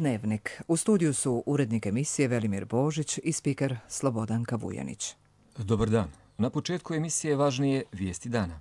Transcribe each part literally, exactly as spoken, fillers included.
Dnevnik. U studiju su urednik emisije Velimir Božić i spiker Slobodanka Vujanić. Dobar dan. Na početku emisije važnije vijesti dana.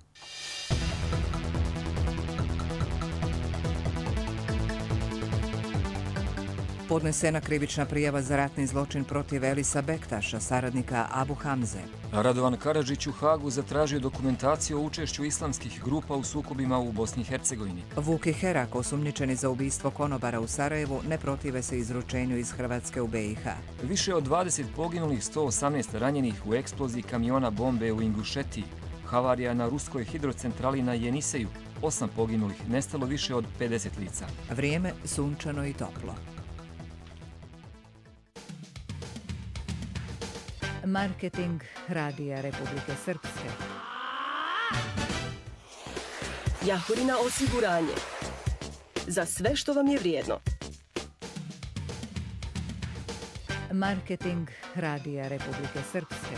Podnesena krivična prijava za ratni zločin protiv Elisa Bektaša, saradnika Abu Hamze. Radovan Karadžić u Hagu zatražio dokumentaciju o učešću islamskih grupa u sukobima u Bosni i Hercegovini. Vuk i Herak, osumnjičeni za ubistvo konobara u Sarajevu, ne protive se izručenju iz Hrvatske u B i H. Više od dvadeset poginulih, sto osamnaest ranjenih u eksploziji kamiona bombe u Ingušetiji. Havarija na ruskoj hidrocentrali na Jeniseju. Osam poginulih, nestalo više od pedeset lica. Vrijeme sunčano i toplo. Marketing Radija Republike Srpske. Jahorina osiguranje. Za sve što vam je vrijedno. Marketing Radija Republike Srpske.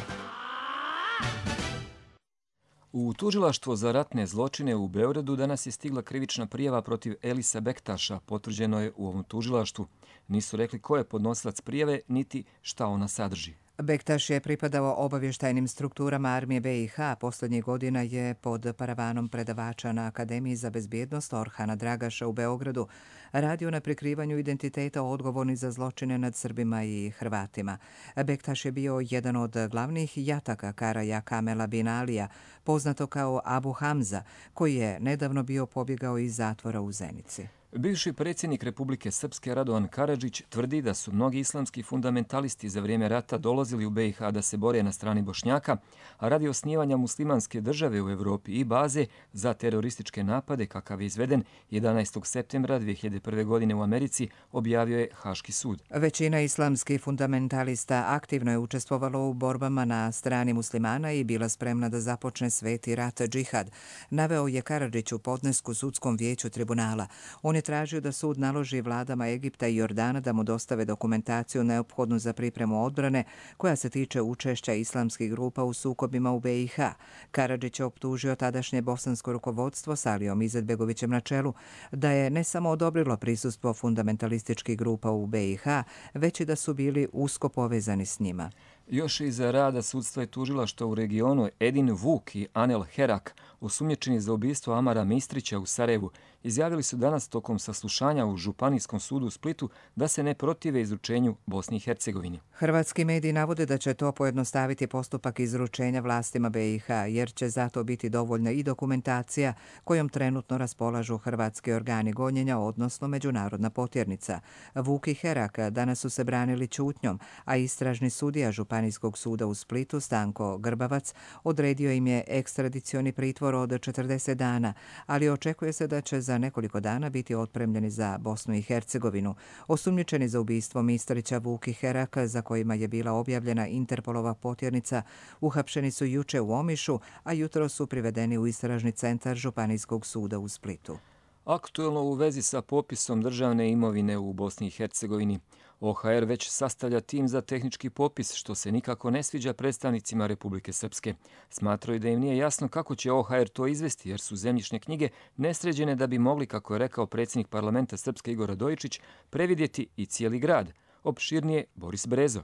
U tužilaštvo za ratne zločine u Beogradu danas je stigla krivična prijava protiv Elisa Bektaša, potvrđeno je u ovom tužilaštvu. Nisu rekli ko je podnosilac prijave, niti šta ona sadrži. Bektaš je pripadao obavještajnim strukturama armije B i H. Posljednjih godina je pod paravanom predavača na Akademiji za bezbjednost Orhana Dragaša u Beogradu radio na prikrivanju identiteta odgovornih za zločine nad Srbima i Hrvatima. Bektaš je bio jedan od glavnih jataka Karaja Kamela bin Alija, poznato kao Abu Hamza, koji je nedavno bio pobjegao iz zatvora u Zenici. Bivši predsjednik Republike Srpske Radovan Karadžić tvrdi da su mnogi islamski fundamentalisti za vrijeme rata dolazili u B i H da se bore na strani Bošnjaka, a radi osnivanja muslimanske države u Evropi i baze za terorističke napade kakav je izveden jedanaestog septembra dvije hiljade prve. godine u Americi, objavio je Haški sud. Većina islamskih fundamentalista aktivno je učestvovalo u borbama na strani muslimana i bila spremna da započne sveti rat džihad, naveo je Karadžić u podnesku sudskom vijeću tribunala. On je tražio da sud naloži vladama Egipta i Jordana da mu dostave dokumentaciju neophodnu za pripremu odbrane koja se tiče učešća islamskih grupa u sukobima u B i H. Karadžić je optužio tadašnje bosansko rukovodstvo s Alijom Izetbegovićem na čelu da je ne samo odobrilo prisustvo fundamentalističkih grupa u B i H, već i da su bili usko povezani s njima. Još iza rada sudstva je tužilaštvo u regionu Edin Vuk i Anel Herak, osumnjičeni za ubistvo Amara Mistrića u Sarajevu, izjavili su danas tokom saslušanja u Županijskom sudu u Splitu da se ne protive izručenju Bosni i Hercegovini. Hrvatski mediji navode da će to pojednostaviti postupak izručenja vlastima B i H, jer će zato biti dovoljna i dokumentacija kojom trenutno raspolažu hrvatski organi gonjenja, odnosno međunarodna potjernica. Vuk i Herak danas su se branili ćutnjom, a istražni sudija Županijskog suda u Splitu Stanko Grbavac odredio im je ekstradicioni pritvor od četrdeset dana, ali očekuje se da će za nekoliko dana biti otpremljeni za Bosnu i Hercegovinu. Osumnjičeni za ubistvo Mistrića Vuk i Herak, za kojima je bila objavljena Interpolova potjernica, uhapšeni su juče u Omišu, a jutro su privedeni u istražni centar Županijskog suda u Splitu. Aktuelno u vezi sa popisom državne imovine u Bosni i Hercegovini. O H R već sastavlja tim za tehnički popis, što se nikako ne sviđa predstavnicima Republike Srpske. Smatraju da im nije jasno kako će O H R to izvesti, jer su zemljišne knjige nesređene da bi mogli, kako je rekao predsjednik parlamenta Srpske Igor Radojičić, previdjeti i cijeli grad. Opširnije Boris Brezo.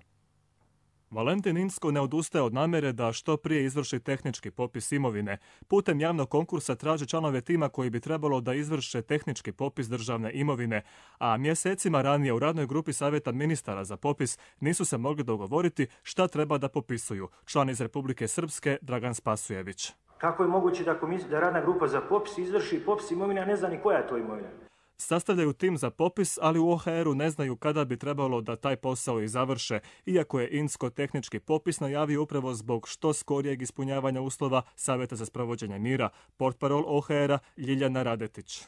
Valentin Inzko ne odustaje od namjere da što prije izvrši tehnički popis imovine. Putem javnog konkursa traže članove tima koji bi trebalo da izvrše tehnički popis državne imovine, a mjesecima ranije u radnoj grupi savjeta ministara za popis nisu se mogli dogovoriti šta treba da popisuju. Član iz Republike Srpske Dragan Spasujević. Kako je moguće da, komis, da radna grupa za popis izvrši popis imovine, a ne zna ni koja je to imovina? Sastavljaju tim za popis, ali u O H R-u ne znaju kada bi trebalo da taj posao i završe, iako je Inzko tehnički popis najavio upravo zbog što skorijeg ispunjavanja uslova Savjeta za sprovođenje mira, portparol O H R-a Ljiljana Radetić.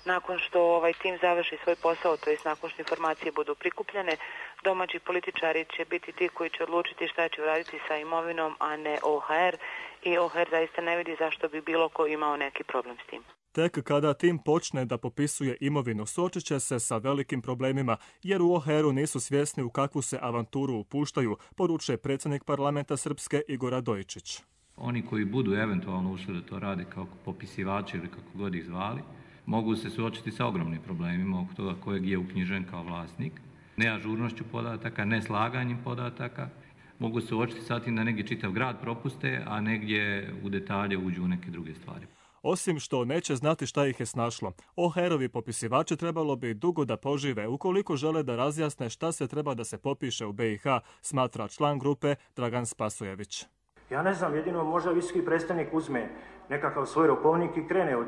Nakon što ovaj tim završi svoj posao, to jest nakon što informacije budu prikupljene, domaći političari će biti ti koji će odlučiti šta će uraditi sa imovinom, a ne O H R, i O H R zaista ne vidi zašto bi bilo ko imao neki problem s tim. Tek kada tim počne da popisuje imovinu, suočit će se sa velikim problemima, jer u O H R-u nisu svjesni u kakvu se avanturu upuštaju, poručuje predsjednik parlamenta Srpske Igor Radojičić. Oni koji budu eventualno ušli da to rade kao popisivači ili kako god ih zvali, mogu se suočiti sa ogromnim problemima oko toga kojeg je uknjižen kao vlasnik, neažurnošću podataka, neslaganjem podataka. Mogu se suočiti sa tim da negdje čitav grad propuste, a negdje u detalje uđu u neke druge stvari. Osim što neće znati šta ih je snašlo, O H R-ovi popisivači trebalo bi dugo da požive ukoliko žele da razjasne šta se treba da se popiše u B i H, smatra član grupe Dragan Spasojević. Ja ne znam, jedino možda visoki predstavnik uzme nekakav svoj rokovnik i krene od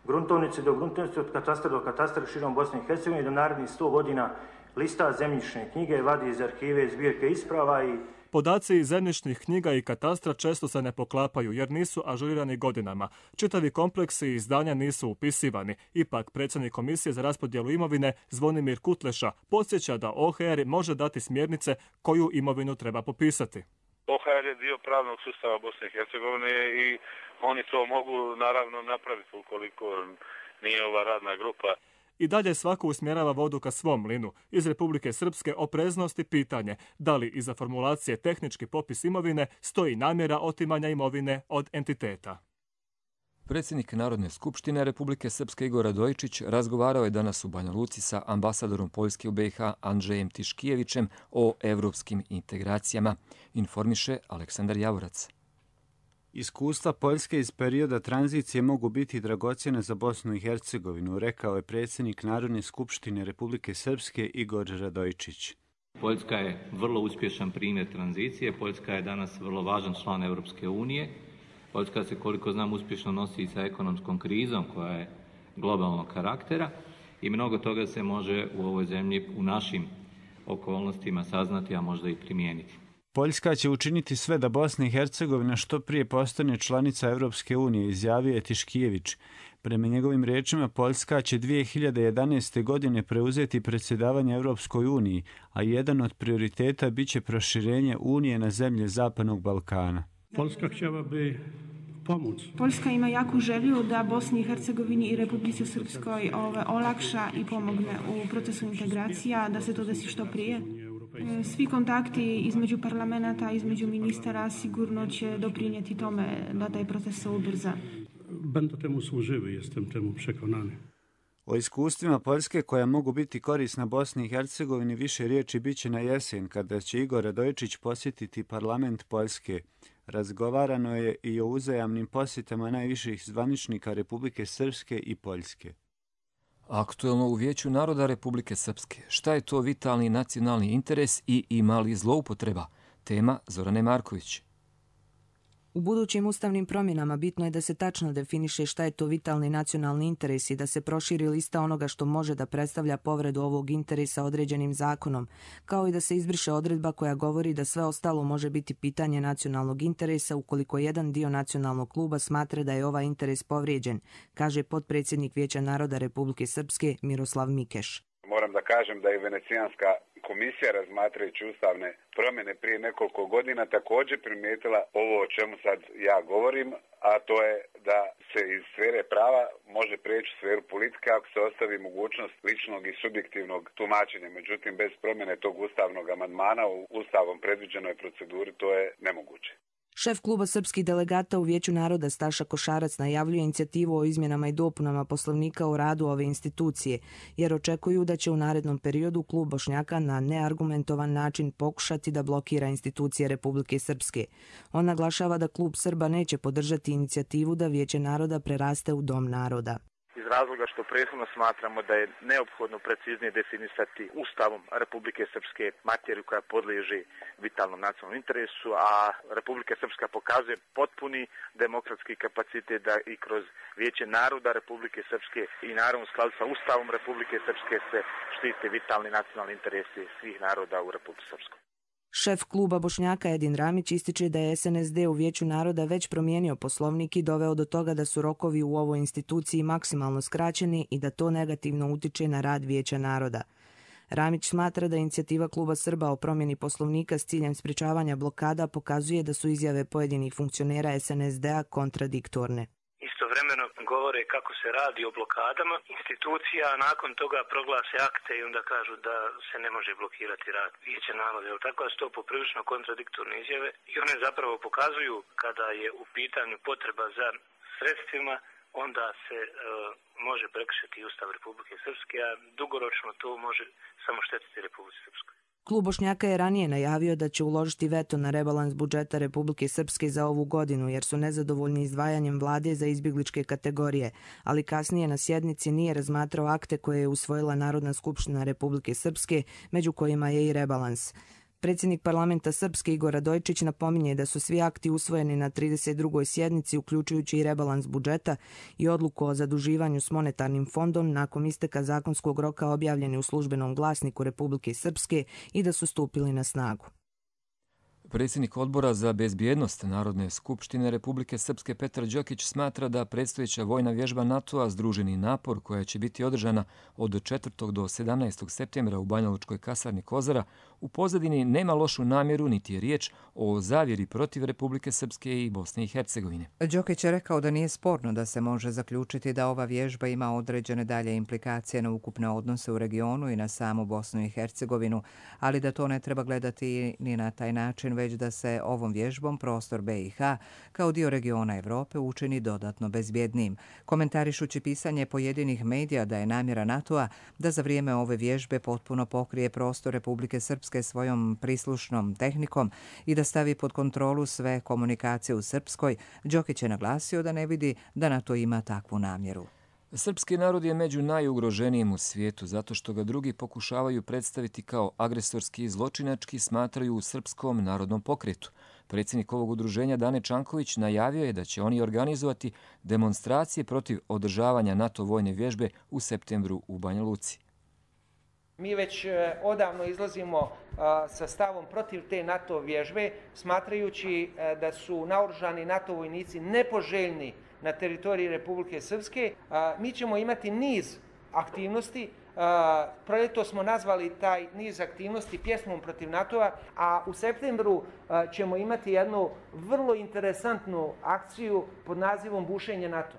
gruntovnice do gruntovnice, od katastra do katastra širom Bosne i Hercegovine, do narednih sto godina lista zemljišne knjige, vadi iz arhive, zbirke isprava i... Podaci iz zemljišnih knjiga i katastra često se ne poklapaju jer nisu ažurirani godinama. Čitavi kompleksi i izdanja nisu upisivani. Ipak, predsjednik Komisije za raspodjelu imovine Zvonimir Kutleša podsjeća da O H R može dati smjernice koju imovinu treba popisati. O H R je dio pravnog sustava Bosne i Hercegovine i oni to mogu naravno napraviti ukoliko nije ova radna grupa. I dalje svako usmjerava vodu ka svom mlinu. Iz Republike Srpske opreznosti pitanje da li iza formulacije tehnički popis imovine stoji namjera otimanja imovine od entiteta. Predsjednik Narodne skupštine Republike Srpske Igor Radojičić razgovarao je danas u Banja Luci sa ambasadorom Poljske u B i H Andřejem Tiškijevićem o evropskim integracijama, informiše Aleksandar Javorac. Iskustva Poljske iz perioda tranzicije mogu biti dragocjene za Bosnu i Hercegovinu, rekao je predsjednik Narodne skupštine Republike Srpske Igor Radojičić. Poljska je vrlo uspješan primjer tranzicije. Poljska je danas vrlo važan član Europske unije. Poljska se, koliko znam, uspješno nosi i sa ekonomskom krizom koja je globalnog karaktera i mnogo toga se može u ovoj zemlji u našim okolnostima saznati, a možda i primijeniti. Poljska će učiniti sve da Bosna i Hercegovina što prije postane članica Europske unije, izjavio je Tiškijević. Prema njegovim riječima, Poljska će dvije hiljade jedanaeste. godine preuzeti predsjedavanje Europskoj uniji, a jedan od prioriteta biće proširenje unije na zemlje Zapadnog Balkana. Poljska htjela bi pomoći. Poljska ima jaku želju da Bosni i Hercegovini i Republici Srpskoj ove, olakša i pomogne u procesu integracija, da se to desi što prije. Svi kontakti između parlamenta, između ministara sigurno će doprinijeti tome da taj proces se ubrza. Będą temu służyły, jestem temu przekonany. O iskustvima Poljske koja mogu biti korisna Bosni i Hercegovini više riječi bit će na jesen kada će Igor Radojičić posjetiti parlament Poljske. Razgovarano je i o uzajamnim posjetama najviših zvaničnika Republike Srpske i Poljske. Aktuelno u Vijeću naroda Republike Srpske. Šta je to vitalni nacionalni interes i ima li zloupotreba? Tema Zorane Marković. U budućim ustavnim promjenama bitno je da se tačno definiše šta je to vitalni nacionalni interes i da se proširi lista onoga što može da predstavlja povredu ovog interesa određenim zakonom, kao i da se izbriše odredba koja govori da sve ostalo može biti pitanje nacionalnog interesa ukoliko jedan dio nacionalnog kluba smatra da je ovaj interes povrijeđen, kaže potpredsjednik Vijeća naroda Republike Srpske Miroslav Mikeš. Moram da kažem da je Venecijanska komisija, razmatrajući ustavne promjene prije nekoliko godina, također primijetila ovo o čemu sad ja govorim, a to je da se iz sfere prava može prijeći u sferu politike ako se ostavi mogućnost ličnog i subjektivnog tumačenja. Međutim, bez promjene tog ustavnog amandmana u ustavom predviđenoj proceduri to je nemoguće. Šef kluba srpskih delegata u Vijeću naroda Staša Košarac najavljuje inicijativu o izmjenama i dopunama poslovnika o radu ove institucije, jer očekuju da će u narednom periodu klub Bošnjaka na neargumentovan način pokušati da blokira institucije Republike Srpske. On naglašava da klub Srba neće podržati inicijativu da Vijeće naroda preraste u Dom naroda. Iz razloga što prethodno smatramo da je neophodno preciznije definisati Ustavom Republike Srpske materiju koja podliježi vitalnom nacionalnom interesu, a Republika Srpska pokazuje potpuni demokratski kapacitet da i kroz Vijeće naroda Republike Srpske i naravno u skladu sa Ustavom Republike Srpske se štite vitalni nacionalni interesi svih naroda u Republici Srpskoj. Šef kluba Bošnjaka Edin Ramić ističe da je S N S D u Vijeću naroda već promijenio poslovnik i doveo do toga da su rokovi u ovoj instituciji maksimalno skraćeni i da to negativno utiče na rad Vijeća naroda. Ramić smatra da inicijativa kluba Srba o promjeni poslovnika s ciljem sprečavanja blokada pokazuje da su izjave pojedinih funkcionera S N S D-a kontradiktorne. Istovremeno govore kako se radi o blokadama institucija, a nakon toga proglase akte i onda kažu da se ne može blokirati rad Vijeća naroda. Tako da su to poprilično kontradiktorne izjave i one zapravo pokazuju kada je u pitanju potreba za sredstvima, onda se e, može prekršiti Ustav Republike Srpske, a dugoročno to može samo štetiti Republike Srpskoj. Klub Bošnjaka je ranije najavio da će uložiti veto na rebalans budžeta Republike Srpske za ovu godinu, jer su nezadovoljni izdvajanjem vlade za izbjegličke kategorije, ali kasnije na sjednici nije razmatrao akte koje je usvojila Narodna skupština Republike Srpske, među kojima je i rebalans. Predsjednik parlamenta Srpske Igor Radojčić napominje da su svi akti usvojeni na trideset drugoj sjednici, uključujući i rebalans budžeta i odluku o zaduživanju s monetarnim fondom nakon isteka zakonskog roka objavljeni u službenom glasniku Republike Srpske i da su stupili na snagu. Predsjednik odbora za bezbjednost Narodne skupštine Republike Srpske Petar Đokić smatra da predstojeća vojna vježba NATO-a Združeni napor, koja će biti održana od četvrtog do sedamnaestog septembra u Banjalučkoj kasarni Kozara, u pozadini nema lošu namjeru niti je riječ o zavjeri protiv Republike Srpske i Bosne i Hercegovine. Đokić je rekao da nije sporno da se može zaključiti da ova vježba ima određene dalje implikacije na ukupne odnose u regionu i na samu Bosnu i Hercegovinu, ali da to ne treba gledati ni na taj način, već da se ovom vježbom prostor B i H kao dio regiona Evrope učini dodatno bezbjednijim. Komentarišući pisanje pojedinih medija da je namjera NATO-a da za vrijeme ove vježbe potpuno pokrije prostor Republike Srpske svojom prislušnom tehnikom i da stavi pod kontrolu sve komunikacije u Srpskoj, Đokić je naglasio da ne vidi da NATO ima takvu namjeru. Srpski narod je među najugroženijim u svijetu zato što ga drugi pokušavaju predstaviti kao agresorski i zločinački, smatraju u Srpskom narodnom pokretu. Predsjednik ovog udruženja Dane Čanković najavio je da će oni organizovati demonstracije protiv održavanja NATO vojne vježbe u septembru u Banja Luci. Mi već odavno izlazimo sa stavom protiv te NATO vježbe, smatrajući da su naoružani NATO vojnici nepoželjni na teritoriji Republike Srpske. Mi ćemo imati niz aktivnosti. Proljeto smo nazvali taj niz aktivnosti pjesmom protiv NATO-a, a u septembru ćemo imati jednu vrlo interesantnu akciju pod nazivom Bušenje NATO.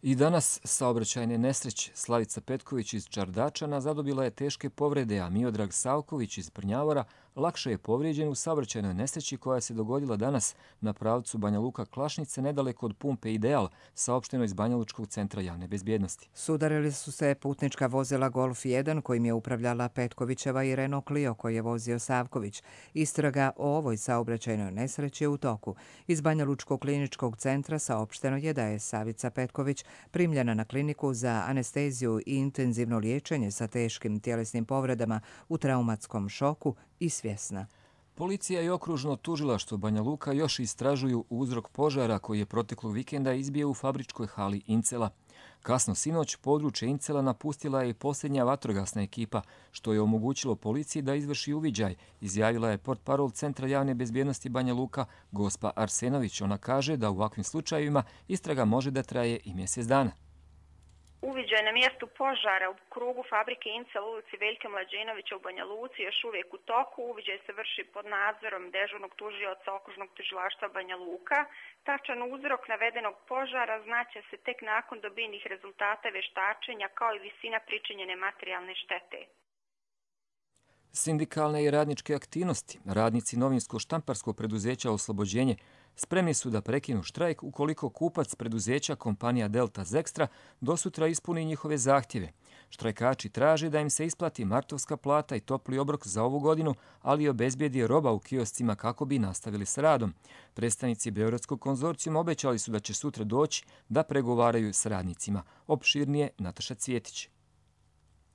I danas saobraćajne nesreće. Slavica Petković iz Čardačana zadobila je teške povrede, a Miodrag Savković iz Prnjavora lakše je povrijeđen u saobraćajnoj nesreći koja se dogodila danas na pravcu Banja Luka-Klašnice nedaleko od pumpe Ideal, saopšteno iz Banjalučkog centra javne bezbjednosti. Sudarili su se putnička vozila Golf jedan kojim je upravljala Petkovićeva i Renault Clio koji je vozio Savković. Istraga o ovoj saobraćajnoj nesreći je u toku. Iz Banjalučkog kliničkog centra saopšteno je da je Savica Petković primljena na kliniku za anesteziju i intenzivno liječenje sa teškim tjelesnim povredama u traumatskom šoku i svjesna. Policija i okružno tužilaštvo Banja Luka još istražuju uzrok požara koji je proteklog vikenda izbio u fabričkoj hali Incela. Kasno sinoć područje Incela napustila je i posljednja vatrogasna ekipa, što je omogućilo policiji da izvrši uviđaj, izjavila je portparol Centra javne bezbjednosti Banja Luka Gospa Arsenović. Ona kaže da u ovakvim slučajevima istraga može da traje i mjesec dana. Uviđaj na mjestu požara u krugu fabrike Incel u ulici Veljka Mlađenovića u Banja Luci još uvijek u toku. Uviđaj se vrši pod nadzorom dežurnog tužioca okružnog tužilaštva Banja Luka. Tačan uzrok navedenog požara znaće se tek nakon dobijenih rezultata vještačenja kao i visina pričinjene materijalne štete. Sindikalne i radničke aktivnosti. Radnici novinsko-štamparskog preduzeća Oslobođenje spremni su da prekinu štrajk ukoliko kupac preduzeća kompanija Delta Zextra dosutra ispuni njihove zahtjeve. Štrajkači traže da im se isplati martovska plata i topli obrok za ovu godinu, ali i obezbijedi roba u kioscima kako bi nastavili s radom. Predstavnici Beogradskog konzorcijuma obećali su da će sutra doći da pregovaraju s radnicima. Opširnije Nataša Cvjetić.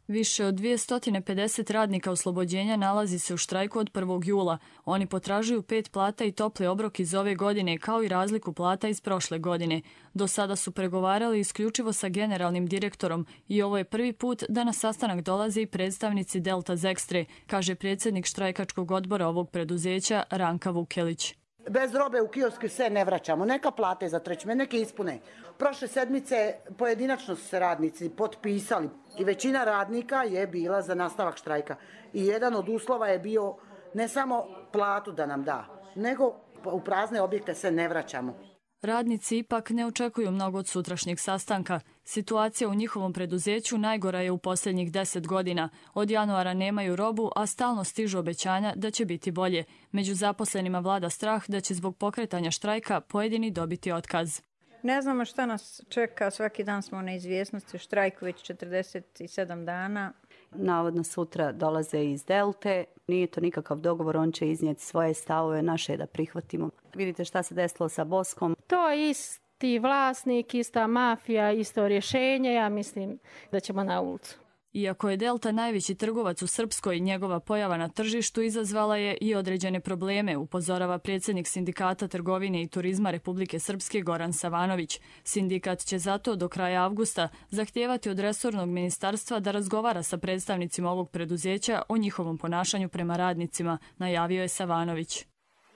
Više od dvjesto pedeset radnika Oslobođenja nalazi se u štrajku od prvog jula. Oni potražuju pet plata i topli obrok iz ove godine, kao i razliku plata iz prošle godine. Do sada su pregovarali isključivo sa generalnim direktorom i ovo je prvi put da na sastanak dolaze i predstavnici Delta Zextre, kaže predsjednik štrajkačkog odbora ovog preduzeća Ranka Vukelić. Bez robe u kiosku se ne vraćamo. Neka plate za trećme, neke ispune. Prošle sedmice pojedinačno su se radnici potpisali i većina radnika je bila za nastavak štrajka. I jedan od uslova je bio ne samo platu da nam da, nego u prazne objekte se ne vraćamo. Radnici ipak ne očekuju mnogo od sutrašnjeg sastanka. Situacija u njihovom preduzeću najgora je u posljednjih deset godina. Od januara nemaju robu, a stalno stižu obećanja da će biti bolje. Među zaposlenima vlada strah da će zbog pokretanja štrajka pojedini dobiti otkaz. Ne znamo šta nas čeka, svaki dan smo u neizvjesnosti, štrajk već četrdeset sedam dana. Navodno sutra dolaze iz Delte, nije to nikakav dogovor, on će iznijeti svoje stavove, naše da prihvatimo. Vidite šta se desilo sa Boskom. To je isti vlasnik, ista mafija, isto rješenje, ja mislim da ćemo na ulicu. Iako je Delta najveći trgovac u Srpskoj, njegova pojava na tržištu izazvala je i određene probleme, upozorava predsjednik Sindikata trgovine i turizma Republike Srpske Goran Savanović. Sindikat će zato do kraja avgusta zahtijevati od resornog ministarstva da razgovara sa predstavnicima ovog preduzeća o njihovom ponašanju prema radnicima, najavio je Savanović.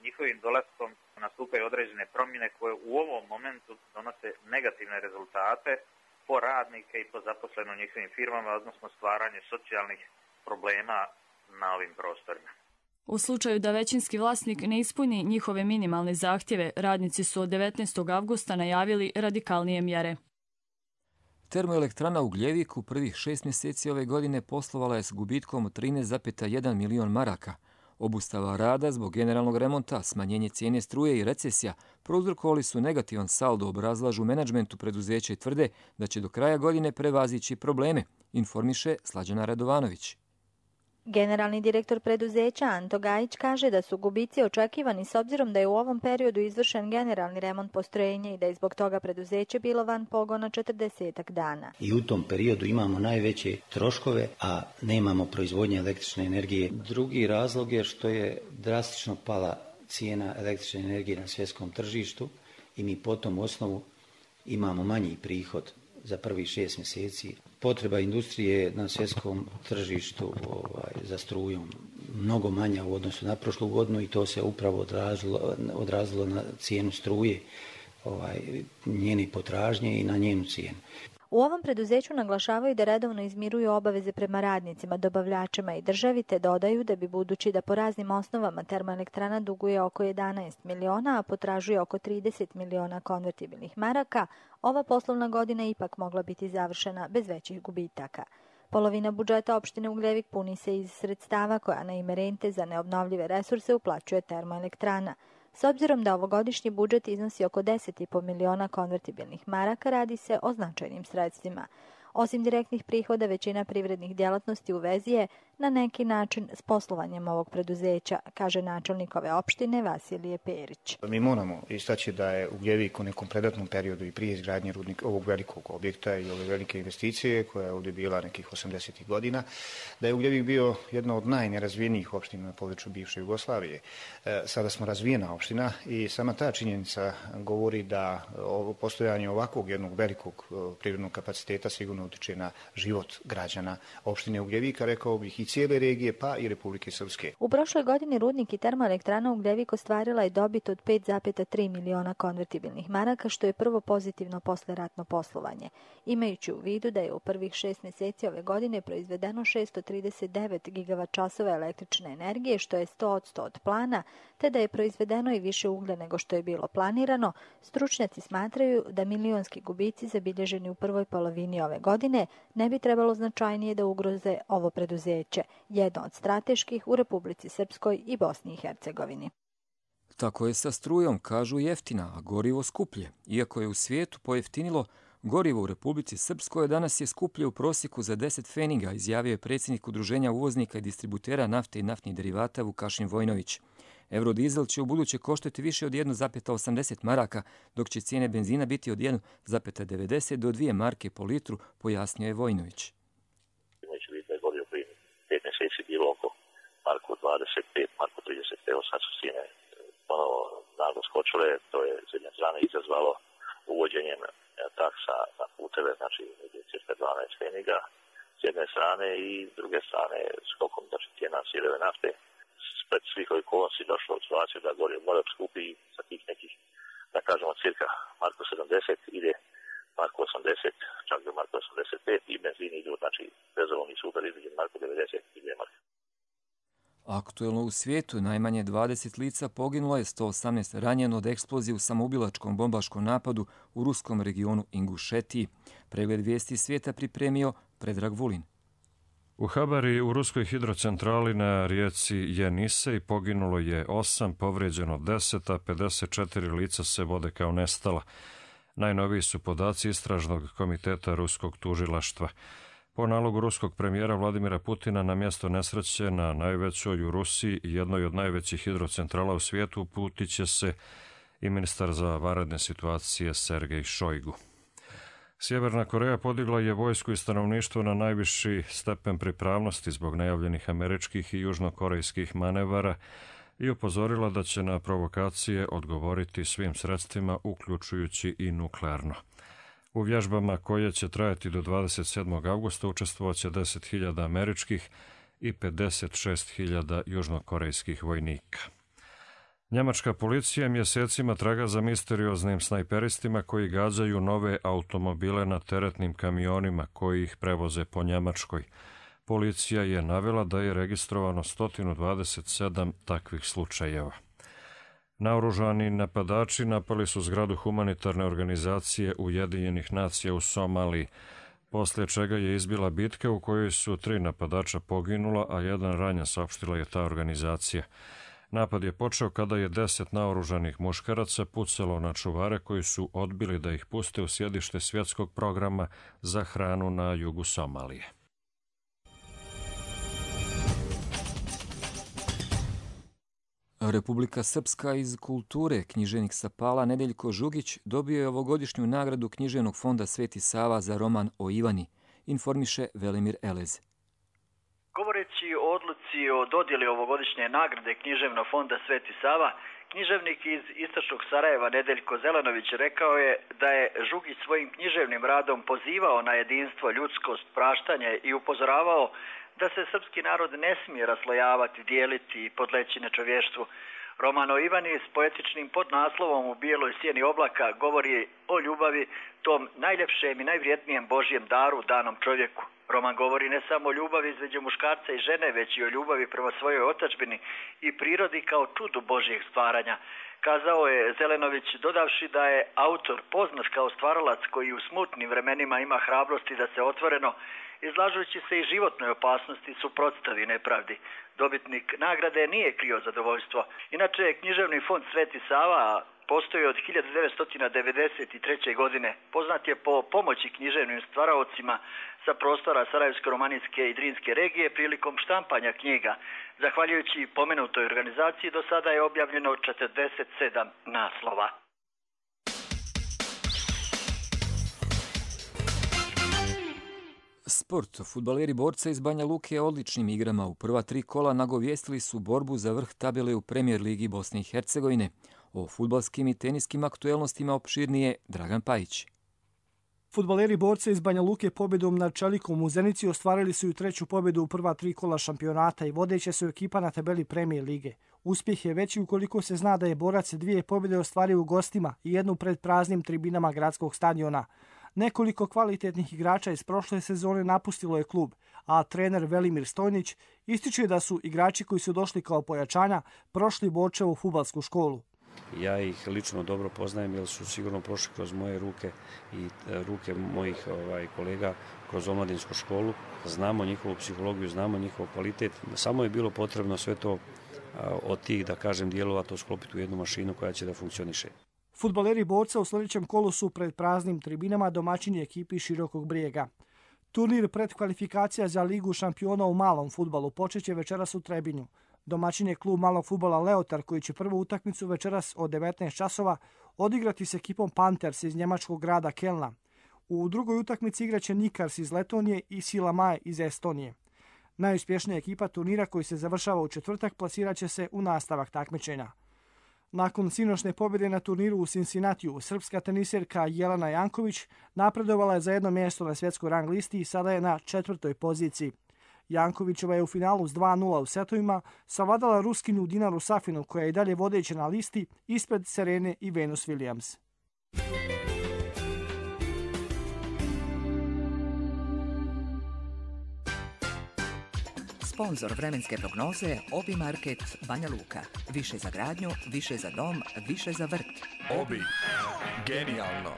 Njihovim dolaskom nastupaju određene promjene koje u ovom momentu donose negativne rezultate po radnike i po zaposleno u njihovim firmama, odnosno stvaranje socijalnih problema na ovim prostorima. U slučaju da većinski vlasnik ne ispuni njihove minimalne zahtjeve, radnici su od devetnaestog avgusta najavili radikalnije mjere. Termoelektrana Ugljevik u prvih šest mjeseci ove godine poslovala je s gubitkom od trinaest zarez jedan milion maraka. Obustava rada zbog generalnog remonta, smanjenje cijene struje i recesija prouzrokovali su negativan saldo, obrazlažu u menadžmentu preduzeća i tvrde da će do kraja godine prevazići probleme, informiše Slađana Radovanović. Generalni direktor preduzeća Anto Gajić kaže da su gubici očekivani s obzirom da je u ovom periodu izvršen generalni remont postrojenja i da je zbog toga preduzeće bilo van pogona četrdesetak dana. I u tom periodu imamo najveće troškove, a nemamo proizvodnje električne energije. Drugi razlog je što je drastično pala cijena električne energije na svjetskom tržištu i mi po tom osnovu imamo manji prihod za prvih šest mjeseci. Potreba industrije na svjetskom tržištu ovaj, za strujom mnogo manja u odnosu na prošlu godinu i to se upravo odrazilo, odrazilo na cijenu struje, ovaj, njene potražnje i na njenu cijenu. U ovom preduzeću naglašavaju da redovno izmiruju obaveze prema radnicima, dobavljačima i državi, te dodaju da bi budući da po raznim osnovama termoelektrana duguje oko jedanaest miliona, a potražuje oko trideset miliona konvertibilnih maraka, ova poslovna godina ipak mogla biti završena bez većih gubitaka. Polovina budžeta opštine Ugljevik puni se iz sredstava koja na ime rente za neobnovljive resurse uplaćuje termoelektrana. S obzirom da ovogodišnji budžet iznosi oko deset zarez pet miliona konvertibilnih maraka, radi se o značajnim sredstvima. Osim direktnih prihoda, većina privrednih djelatnosti u vezi je na neki način s poslovanjem ovog preduzeća, kaže načelnik ove opštine Vasilije Perić. Mi moramo istaći da je Ugljevik u nekom predatnom periodu i prije izgradnje rudnika, ovog velikog objekta i ove velike investicije koja je ovdje bila nekih osamdesetih godina, da je Ugljevik bio jedna od najnerazvijenijih opština na području bivše Jugoslavije. Sada smo razvijena opština i sama ta činjenica govori da ovo postojanje ovakvog jednog velikog privrednog kapaciteta sigurno utiče na život građana opštine Ugljevika, rekao bih i cijele regije, pa i Republike Srpske. U prošloj godini rudnik i termoelektrana Ugljevik ostvarila je dobit od pet zarez tri miliona konvertibilnih maraka, što je prvo pozitivno posleratno poslovanje. Imajući u vidu da je u prvih šest mjeseci ove godine proizvedeno šesto trideset devet gigavat časova električne energije, što je sto posto od plana, te da je proizvedeno i više uglja nego što je bilo planirano, stručnjaci smatraju da milionski gubici zabilježeni u prvoj polovini ove godine ne bi trebalo značajnije da ugroze ovo preduzeće, jedno od strateških u Republici Srpskoj i Bosni i Hercegovini. Tako je sa strujom, kažu, jeftina, a gorivo skuplje. Iako je u svijetu pojeftinilo, gorivo u Republici Srpskoj danas je skuplje u prosjeku za deset feninga, izjavio je predsjednik Udruženja uvoznika i distributera nafte i naftnih derivata Vukašin Vojnović. Eurodizel će u buduće koštati više od jedna zarez osamdeset maraka, dok će cijene benzina biti od jedna zarez devedeset do dvije marke po litru, pojasnio je Vojnović. Imajući vid da je gorivo prije pet mjeseci bilo oko marku dvadeset pet, marku trideset, evo sad su cijene ponovo naglo skočile, to je s jedne strane izazvalo uvođenjem taksa na puteve, znači cirka dvanaest feniga s jedne strane i s druge strane skokom znači cijena sirove nafte. Spred svih ovih okolnosti došlo u situaciju da gorivo mora skupi sa tih nekih, da kažemo, cirka marku sedamdeset ide marku osamdeset, čak do marku osamdeset pet i benzini idu, znači bezolovni super između marku devedeset i dvije marke. Aktuelno u svijetu najmanje dvadeset lica poginulo je, sto osamnaest ranjeno od eksplozije u samoubilačkom bombaškom napadu u ruskom regionu Ingušetiji. Pregled vijesti svijeta pripremio Predrag Vulin. U Habari u ruskoj hidrocentrali na rijeci Jenisej poginulo je osam, povrijeđeno deset, a pedeset četiri lica se vode kao nestala. Najnoviji su podaci Istražnog komiteta ruskog tužilaštva. Po nalogu ruskog premijera Vladimira Putina na mjesto nesreće na najvećoj u Rusiji i jednoj od najvećih hidrocentrala u svijetu uputit će se i ministar za vanredne situacije Sergej Šojgu. Sjeverna Koreja podigla je vojsku i stanovništvo na najviši stepen pripravnosti zbog najavljenih američkih i južnokorejskih manevara i upozorila da će na provokacije odgovoriti svim sredstvima, uključujući i nuklearno. U vježbama koje će trajati do dvadeset sedmog avgusta učestvovat će deset hiljada američkih i pedeset šest hiljada južnokorejskih vojnika. Njemačka policija mjesecima traga za misterioznim snajperistima koji gađaju nove automobile na teretnim kamionima koji ih prevoze po Njemačkoj. Policija je navela da je registrovano sto dvadeset sedam takvih slučajeva. Naoružani napadači napali su zgradu humanitarne organizacije Ujedinjenih nacija u Somaliji, poslije čega je izbila bitka u kojoj su tri napadača poginula, a jedan ranjen, saopštila je ta organizacija. Napad je počeo kada je deset naoružanih muškaraca pucalo na čuvare koji su odbili da ih puste u sjedište svjetskog programa za hranu na jugu Somalije. Republika Srpska iz kulture, književnik sa Pala Nedeljko Žugić dobio je ovogodišnju nagradu Književnog fonda Sveti Sava za roman o Ivani, informiše Velimir Elez. Govoreći o odluci o dodjeli ovogodišnje nagrade Književnog fonda Sveti Sava, književnik iz istočnog Sarajeva Nedeljko Zelenović rekao je da je Žugić svojim književnim radom pozivao na jedinstvo, ljudskost, praštanje i upozoravao da se srpski narod ne smije raslojavati, dijeliti i podleći nečovještvu. Roman o Ivani s poetičnim podnaslovom U bijeloj sjeni oblaka govori o ljubavi, tom najljepšem i najvrijednijem Božjem daru danom čovjeku. Roman govori ne samo o ljubavi između muškarca i žene, već i o ljubavi prema svojoj otadžbini i prirodi kao čudu Božjeg stvaranja. Kazao je Zelenović, dodavši da je autor poznat kao stvaralac koji u smutnim vremenima ima hrabrosti da se otvoreno, izlažujući se i životnoj opasnosti, suprotstavi nepravdi. Dobitnik nagrade nije krio zadovoljstvo. Inače, Književni fond Sveti Sava postoji od hiljadu devetsto devedeset treće. godine. Poznat je po pomoći književnim stvaraocima sa prostora Sarajevsko-romanijske i Drinske regije prilikom štampanja knjiga. Zahvaljujući pomenutoj organizaciji do sada je objavljeno četrdeset sedam naslova. Sport. Fudbaleri Borca iz Banja Luke odličnim igrama u prva tri kola nagovijestili su borbu za vrh tabele u Premijer ligi Bosne i Hercegovine. O fudbalskim i teniskim aktuelnostima opširnije Dragan Pajić. Fudbaleri Borca iz Banja Luke pobjedom nad Čelikom u Zenici ostvarili su i treću pobjedu u prva tri kola šampionata i vodeća su ekipa na tabeli Premijer lige. Uspjeh je veći ukoliko se zna da je Borac dvije pobjede ostvario u gostima i jednu pred praznim tribinama gradskog stadiona. Nekoliko kvalitetnih igrača iz prošle sezone napustilo je klub, a trener Velimir Stojnić ističe da su igrači koji su došli kao pojačanja prošli Borčevu fudbalsku školu. Ja ih lično dobro poznajem jer su sigurno prošli kroz moje ruke i ruke mojih ovaj, kolega kroz omladinsku školu. Znamo njihovu psihologiju, znamo njihov kvalitet. Samo je bilo potrebno sve to od tih, da kažem, dijelova to sklopiti u jednu mašinu koja će da funkcioniše. Fudbaleri Borca u sljedećem kolu su pred praznim tribinama domaćini ekipi Širokog Brijega. Turnir predkvalifikacija za Ligu šampiona u malom fudbalu počeće večeras u Trebinju. Domaćin je klub malog fudbala Leotar koji će prvu utakmicu večeras od devetnaest časova odigrati s ekipom Panthers iz njemačkog grada Kelna. U drugoj utakmici igraće Nikars iz Letonije i Sila Maj iz Estonije. Najuspješnija ekipa turnira koji se završava u četvrtak plasirat će se u nastavak takmičenja. Nakon sinoćne pobjede na turniru u Cincinnatiju, srpska teniserka Jelena Janković napredovala je za jedno mjesto na svjetskoj rang listi i sada je na četvrtoj poziciji. Jankovićeva je u finalu s dva nula u setovima savladala Ruskinju Dinaru Safinu koja je i dalje vodeća na listi ispred Serene i Venus Williams. Sponzor vremenske prognoze Obi Market Banja Luka. Više za gradnju, više za dom, više za vrt. Obi. Genijalno.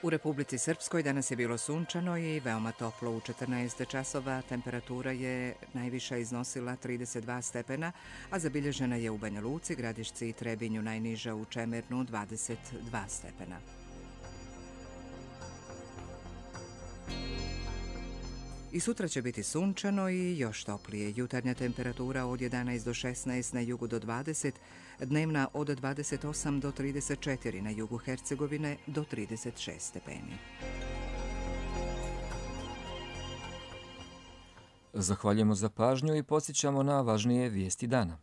U Republici Srpskoj danas je bilo sunčano i veoma toplo. U četrnaest časova temperatura je najviša iznosila trideset dva stepena, a zabilježena je u Banja Luci, Gradišci i Trebinju, najniža u Čemernu dvadeset dva stepena. I sutra će biti sunčano i još toplije. Jutarnja temperatura od jedanaest do šesnaest, na jugu do dvadeset, dnevna od dvadeset osam do trideset četiri, na jugu Hercegovine do trideset šest stepeni. Zahvaljujemo za pažnju i podsjećamo na važnije vijesti dana.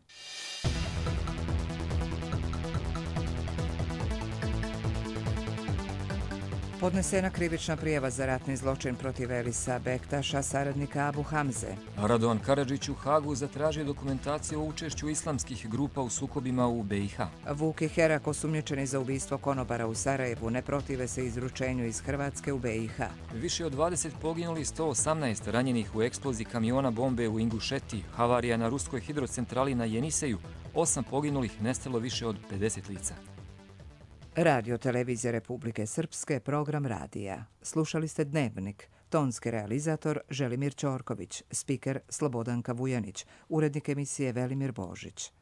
Podnesena krivična prijava za ratni zločin protiv Elisa Bektaša, saradnika Abu Hamze. Radovan Karadžić u Hagu zatražio dokumentaciju o učešću islamskih grupa u sukobima u B i H. Vuk i Herak, osumnjičeni za ubistvo konobara u Sarajevu, ne protive se izručenju iz Hrvatske u B i H. Više od dvadeset poginuli, sto osamnaest ranjenih u eksploziji kamiona bombe u Ingušeti, havarija na ruskoj hidrocentrali na Jeniseju, osam poginulih, nestalo više od pedeset lica. Radio Televizija Republike Srpske, program radija. Slušali ste Dnevnik. Tonski realizator Želimir Ćorković, spiker Slobodanka Vujanić, urednik emisije Velimir Božić.